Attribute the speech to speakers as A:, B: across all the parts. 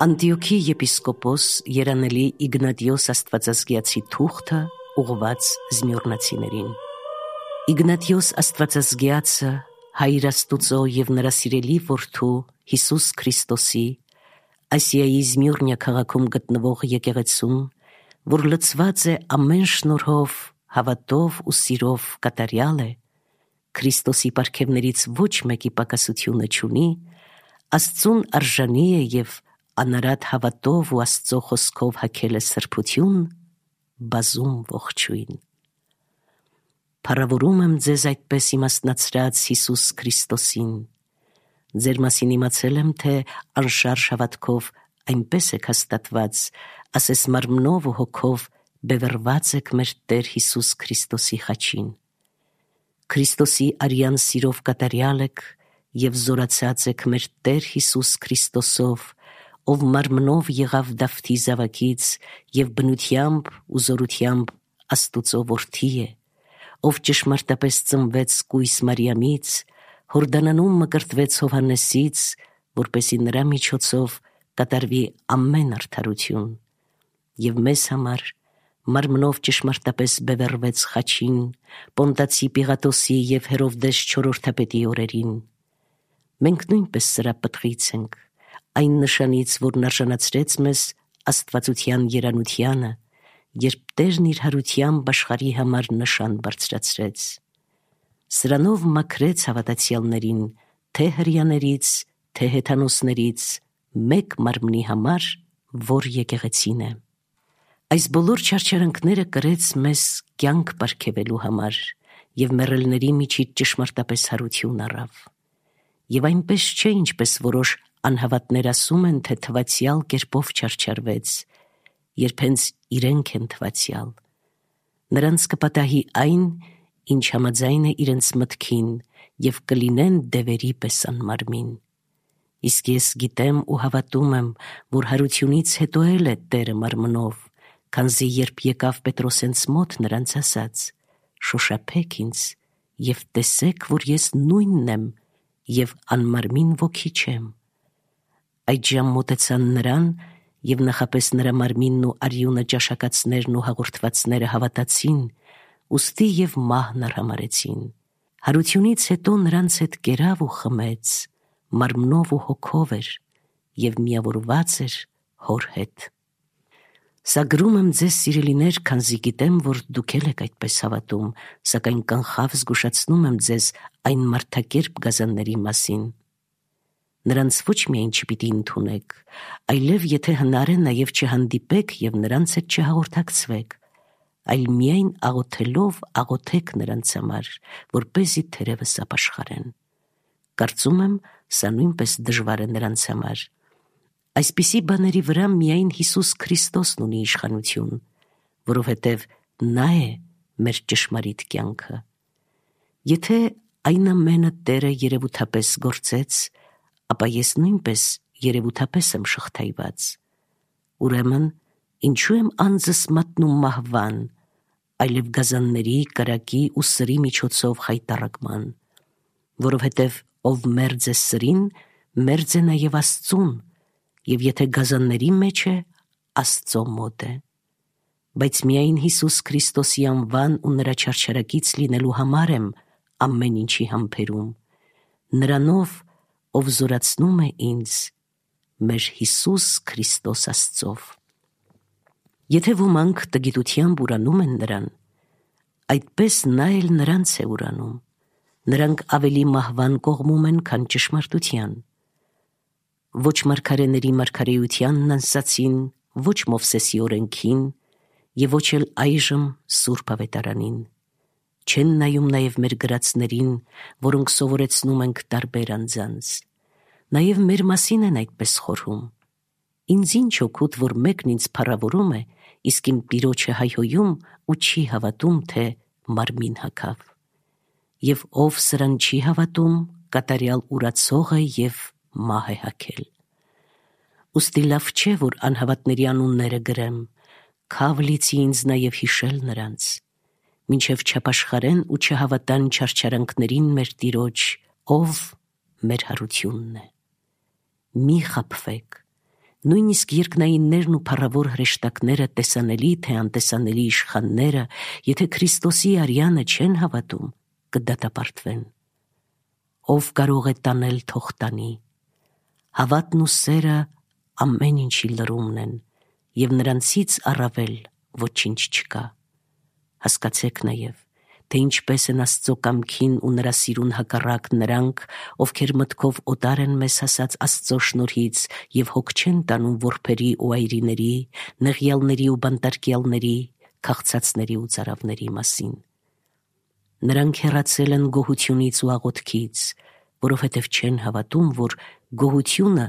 A: Անտիոքի եպիսկոպոս երանելի Իգնատիոս Աստվածազգեացի թուղթը ուղղված զմյուռնացիներին։ Իգնատիոս Աստվածազգեացը Հայր Աստուծո և նրա սիրելի որդու Հիսուս Քրիստոսի Ասիայի Զմյուռնիա քաղաքում գտնվող եկեղեցուն, որ լցված է ամեն շնորհով, հավատով ու սիրով կատարյալ է, Քրիստոսի պարգևներից ոչ մեկի պակասությունը չունի, Աստծուն արժանի է և անարատ հավատով ու Աստծո խոսքով հագել է սրբություն, բազում ողջույն։ Փառավորում եմ ձեզ այդպես իմաստնացրած Հիսուս Քրիստոսին։ Ձեր մասին իմացել եմ, թե անշարժ հավատքով այնպես եք հաստատված, ասես մարմնով ու հոգով բևեռված եք մեր Տեր Հիսուս Քրիստոսի խաչին։ Քրիստոսի արյան սիրով կատարյալ եք և զորացած եք մեր Տեր Հիսուս Քրիստոսով, ով մարմնով եղավ Դավթի զավակից և բնությամբ ու զորությամբ Աստուծո որդի է, ով ճշմարտապես ծնվեց կույս Մարիամից, Հորդանանում մկրտվեց Հովհաննեսից, որպեսզի նրա միջոցով կատարվի ամեն արդարություն, և մեզ համար մարմնով ճշմարտապես բևեռվեց խաչին Պոնտացի Պիղատոսի և Հերովդես չորրորդապետի օրերին։ Մենք նույնպես սրա պտղից ենք, այն նշանից, որն արժանացրեց մեզ աստվածության երանությանը, երբ Տերն իր հարությամբ աշխարհի համար նշան բարձրացրեց։ Սրանով մաքրեց հավատացյալներին, թե հրեաներից, թե հեթանոսներից, մեկ մարմնի համար, որ եկեղեցին է։ Այս բոլոր չարչարանքները կրեց մեզ կյանք պարգևելու համար և մեռելների միջից ճշմարտապես հարություն առավ։ Եվ այնպես չէ, ինչպես որոշ անհավատներ ասում են, թե թվացյալ կերպով չարչարվեց, երբ հենց իրենք են թվացյալ։ Նրանց կպատահի այն, ինչ համաձայն է իրենց մտքին, և կլինեն դևերի պես անմարմին։ Իսկ ես գիտեմ ու հավատում եմ, որ հարությունից հետո էլ է Տերը մարմնով, քանզի երբ եկավ Պետրոսենց մոտ, նրանց ասաց. «Շոշափեք ինձ և տեսեք, որ ես նույնն եմ և անմարմին ոգի չեմ»։ Այդժամ մոտեցան նրան և նախապես նրա մարմինն ու արյունը ճաշակածներն ու հաղորդվածները հավատացին, ուստի և մահն արհամարհեցին։ Հարությունից հետո նրանց հետ կերավ ու խմեց, մարմնով ու հոգով էր և միավորված էր հոր հետ։ Սա գրում եմ ձեզ, սիրելիներ, քանզի գիտեմ, որ դուք էլ եք այդպես հավատում, սակայն կանխավ զգուշացնում եմ ձեզ այն մարդակերպ գազանների մասին։ Նրանց ոչ միայն չպիտի ընդունեք, այլև եթե հնար է, նաև չհանդիպեք և նրանց հետ չհաղորդակցվեք, այլ միայն աղոթելով աղոթեք նրանց համար, որպեսզի թերևս ապաշխարեն։ Կարծում եմ, սա նույնպես դժվար է նրանց համար։ Այսպիսի բաների վրա միայն Հիսուս Քրիստոսն ունի իշխանություն, որովհետև նա է մեր ճշմարիտ կյանքը։ Եթե այն ամենը Տերը երևութապես գործեց, ապա ես նույնպես երևութապես եմ շղթայված։ Ուրեմն, ինչու եմ անձս մատնում մահվան, այլև գազանների, կրակի ու սրի միջոցով խայտառակման, որովհետև ով մերձ է սրին, մերձ է նաև Աստծուն, և եթե գազանների մեջ է, Աստծո մոտ է։ Բայց միայն Հիսուս Քրիստոսի անվան ու նրա չարչարակից լինելու համար եմ ամեն ինչի համբերում, նրանով, ով զորացնում է ինձ, մեր Հիսուս Քրիստոս Աստծով։ Եթե ոմանք տգիտությամբ ուրանում են նրան, այդպես նա էլ նրանց է ուրանում։ Նրանք ավելի մահվան կողմում են, քան ճշմարտության։ Ոչ մարգարեների մարգարեությանն անսացին, ոչ Մովսեսի օրենքին և ոչ էլ այժմ Սուրբ Ավետարանին։ Չեն նայում նաև մեր գրածներին, որոնք սովորեցնում ենք տարբեր անձանց։ Նաև մեր մասին են այդպես խորհում։ Ինձ ինչ օգուտ, որ մեկն ինձ փառավորում է, իսկ իմ Տիրոջը հայհոյում ու չի հավատում, թե մարմին հագավ։ Եվ ով սրան չի հավատում, կատարյալ ուրացող է և մահ է հագել։ Ուստի լավ չէ, որ անհավատների անունները գրեմ, քավ լիցի ինձ նաև հիշել նրանց, մինչև չապաշխարեն ու չհավատան չարչարանքներին մեր Տիրոջ, ով մեր հարությունն է։ Մի խաբվեք, Նույնիսկ երկնայիններն ու փառավոր հրեշտակները, տեսանելի թե անտեսանելի իշխանները, եթե Քրիստոսի արյանը չեն հավատում, կդատապարտվեն։ Ով կարող է տանել, թող տանի։ Հավատն ու սերը ամեն ինչի լրումն են, և նրանցից առավել ոչինչ չկա։ Հասկացեք նաև, թե ինչպես են Աստծո կամքին ու նրա սիրուն հակառակ նրանք, ովքեր մտքով օտար են մեզ հասած Աստծո շնորհից և հոգ չեն տանում որբերի ու այրիների, նեղյալների ու բանտարկյալների, քաղցածների ու ծարավների մասին։ Նրանք հեռացել են գոհությունից ու աղոթքից, որովհետև չեն հավատում, որ գոհությունը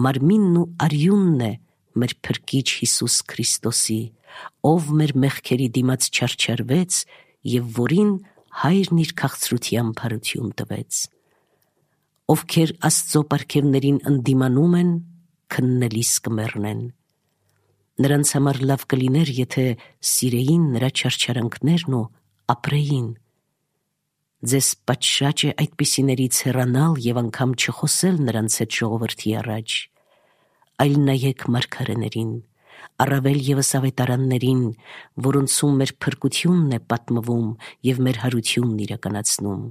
A: մարմինն ու արյունն է մեր Փրկիչ Հիսուս Քրիստոսի, ով մեր մեղքերի դիմաց չարչարվեց և որին Հայրն իր քաղցրությամբ հարություն տվեց։ Ովքեր Աստծո պարգևներին ընդդիմանում են, քննելիս կմեռնեն։ Նրանց համար լավ կլիներ, եթե սիրեին նրա չարչարանքներն ու ապրեին։ Ձեզ պատշաճ է այդպիսիներից հեռանալ և անգամ չխոսել նրանց հետ ժողովրդի առաջ, այլ նայեք մարգարեներին, առավել ևս ավետարաններին, որոնցում մեր փրկությունն է պատմվում և մեր հարությունն իրականացնում,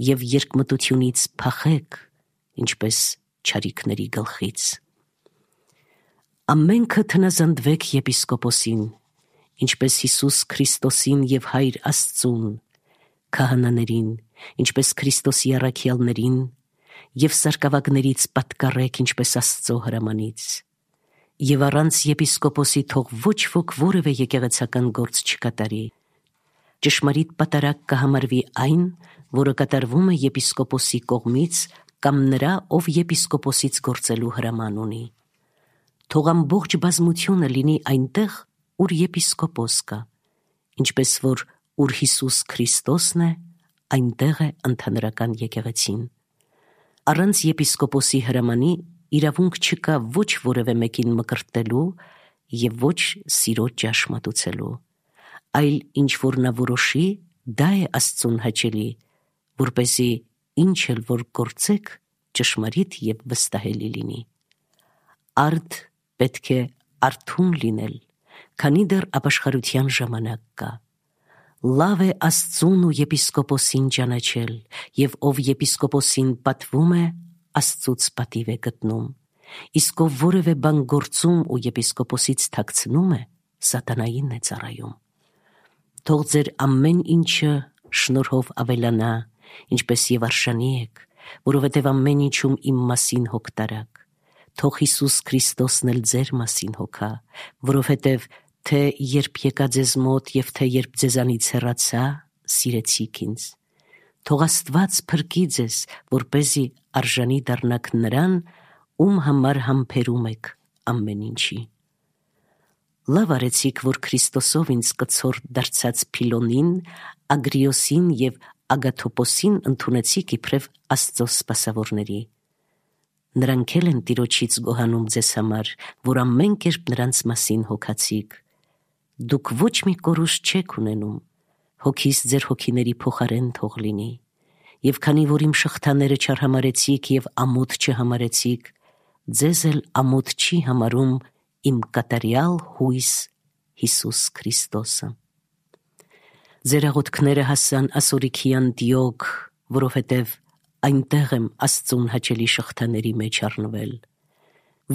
A: և երկմտությունից փախեք, ինչպես չարիքների գլխից։ Ամենքը թնազանդվեք եպիսկոպոսին, ինչպես Հիսուս Քրիստոսին և Հայր Աստծուն, քահանաներին, ինչպես Քրիստոսի առաքյալներին, և սարկավագներից պատկառեք, ինչպես Աստծո հրամանից։ Եվ առանց եպիսկոպոսի թող ոչ ոք որևէ եկեղեցական գործ չկատարի։ Ճշմարիտ պատարագ կհամարվի այն, որը կատարվում է եպիսկոպոսի կողմից կամ նրա, ով եպիսկոպոսից գործելու հրաման ունի։ Թող ամբողջ բազմությունը լինի այնտեղ, ուր եպիսկոպոս կա, ինչպես որ ուր Հիսուս Քրիստոսն է, այնտեղ է ընդհանրական եկեղեցին։ Առանց եպիսկոպոսի հրամանի իրավունք չկա ոչ որևէ մեկին մկրտելու և ոչ սիրո ճաշ մատուցելու, այլ ինչ որ նա որոշի, դա է Աստծուն հաճելի, որպեսզի ինչ էլ որ գործեք, ճշմարիտ և վստահելի լինի։ Արդ պետք է արթուն լինել, քանի դեռ ապաշխարության ժամանակ կա։ Լավ է Աստծուն ու եպիսկոպոսին ճանաչել, և ով եպիսկոպոսին պատվում է, Աստծուց պատիվ է գտնում, իսկ ով որևէ բան գործում ու եպիսկոպոսից թաքցնում է, սատանային է ծառայում։ Թող ձեր ամեն ինչը շնորհով ավելանա, ինչպես և արժանի եք, որովհետև ամեն ինչում իմ մասին հոգ տարաք։ Թող Հիսուս Քրիստոսն էլ ձեր մասին հոգա, որովհետև թե երբ եկա ձեզ մոտ և թե երբ ձեզանից հեռացա, սիրեցիք ինձ։ Թող Աստված փրկի ձեզ, որպեսզի արժանի դառնաք նրան, ում համար համբերում եք ամեն ինչի։ Լավ արեցիք, որ Քրիստոսով ինձ կցորդ դարձած Փիլոնին, Ագրիոսին և Ագաթոպոսին ընդունեցիք իբրև Աստծո սպասավորների։ Նրանք էլ են Տիրոջից գոհանում ձեզ համար, որ ամեն կերպ նրանց մասին հոգացիք։ Դուք ոչ մի կորուստ չեք ունենում, հոգիս ձեր հոգիների փոխարեն թող լինի։ Եվ քանի որ իմ շղթաները չարհամարեցիք և ամոթ չհամարեցիք, ձեզ էլ ամոթ չի համարում իմ կատարյալ հույս Հիսուս Քրիստոսը։ Ձեր աղոթքները հասան Ասորիքի Անտիոք, որովհետև այնտեղ եմ Աստծուն հաճելի շղթաների մեջ առնվել։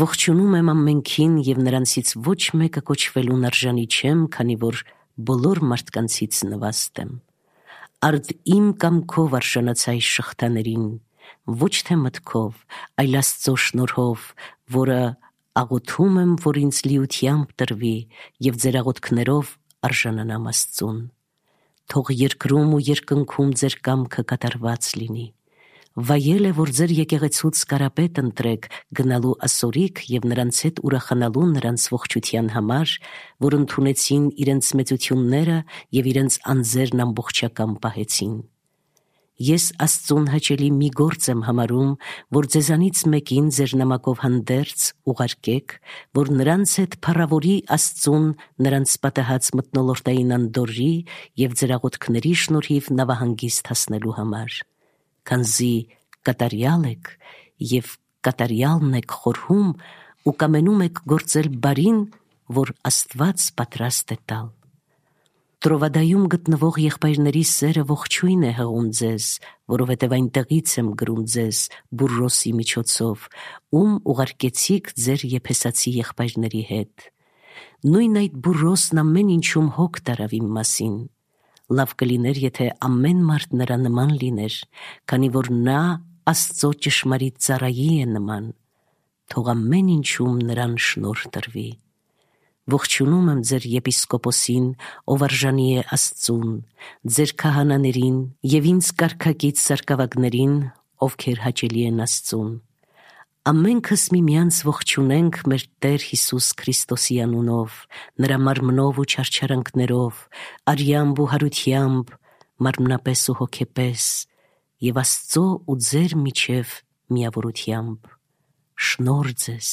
A: Ողջունում եմ ամենքին և նրանցից ոչ մեկը կոչվելուն արժանի չեմ, քանի որ բոլոր մարդկանցից նվաստ եմ։ Արդ իմ կամքով արժանացա այս շղթաներին, ոչ թե մտքով, այլ Աստծո շնորհով, որը աղոթում եմ, որ ինձ լիությամբ տրվի և ձեր աղոթքներով արժանանամ Աստծուն։ Թող երկրում ու երկնքում ձեր կամքը կատարված լինի։ Վայել է, որ ձեր եկեղեցուց կարապետ ընտրեք գնալու Ասորիկ և նրանց հետ ուրախանալու նրանց ողջության համար, որ ընդունեցին իրենց մեծությունները և իրենց անձերն ամբողջական պահեցին։ Ես Աստծուն հաճելի մի գործ եմ համարում, որ ձեզանից մեկին ձեր նամակով հանդերձ ուղարկեք, որ նրանց հետ փառավորի Աստծուն նրանց պատահած մթնոլորտային անդորրի և ձեր աղոթքների շնորհիվ նավահանգիստ հասնելու համար, քանզի կատարյալ եք և կատարյալն եք խորհում, ու կամենում եք գործել բարին, որ Աստված պատրաստ է տալ։ Տրովադայում գտնվող եղբայրների սերը ողջույն է հղում ձեզ, որովհետև այնտեղից եմ գրում ձեզ Բուրրոսի միջոցով, ում ուղարկեցիք ձեր եփեսացի եղբայրների հետ։ Նույն այդ Բուրրոսն ամեն ինչում հոգ տարավ իմ մասին։ Լավ կլիներ, եթե ամեն մարդ նրա նման լիներ, քանի որ նա Աստծո ճշմարիտ ծառայի է նման։ Թող ամեն ինչում նրան շնորհ տրվի։ Ողջունում եմ ձեր եպիսկոպոսին, ով արժանի է Աստծուն, ձեր քահանաներին և ինձ կարգակից սարկավագներին, ովքեր հաճելի են Աստծուն։ Ամենքս միմյանց ողջունենք մեր Տեր Հիսուս Քրիստոսի անունով, նրա մարմնով ու չարչարանքներով, արյամբ ու հարությամբ, մարմնապես ու հոգեպես, և Աստծո ու ձեր միջև միավորությամբ։ Շնորհ ձեզ,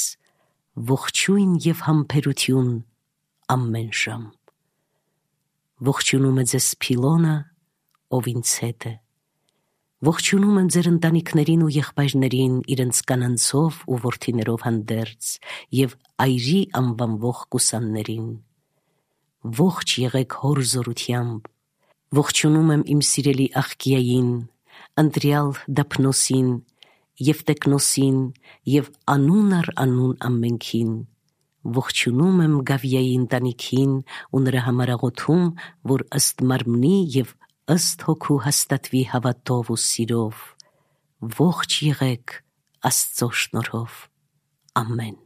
A: ողջույն և համբերություն ամեն ժամ։ Ողջունում է ձեզ Փիլոնը, ով ինձ հետ է։ Ողջունում եմ ձեր ընտանիքներին ու եղբայրներին իրենց կանանցով ու որդիներով հանդերձ և այրի անվանվող կուսաններին։ Ողջ եղեք հոր զորությամբ։ Ողջունում եմ իմ սիրելի աղկիային, ընտրյալ Դափնոսին, Եվտեքնոսին և անուն առ անուն ամենքին։ Ողջունում եմ Գավիայի ընտանիքին ու նրա համար աղոթում, որ ըստ մարմնի և ըստ հոգու հաստատվի հավատով ու սիրով։ Ողջ եղեք Աստծո շնորհով։ Ամեն։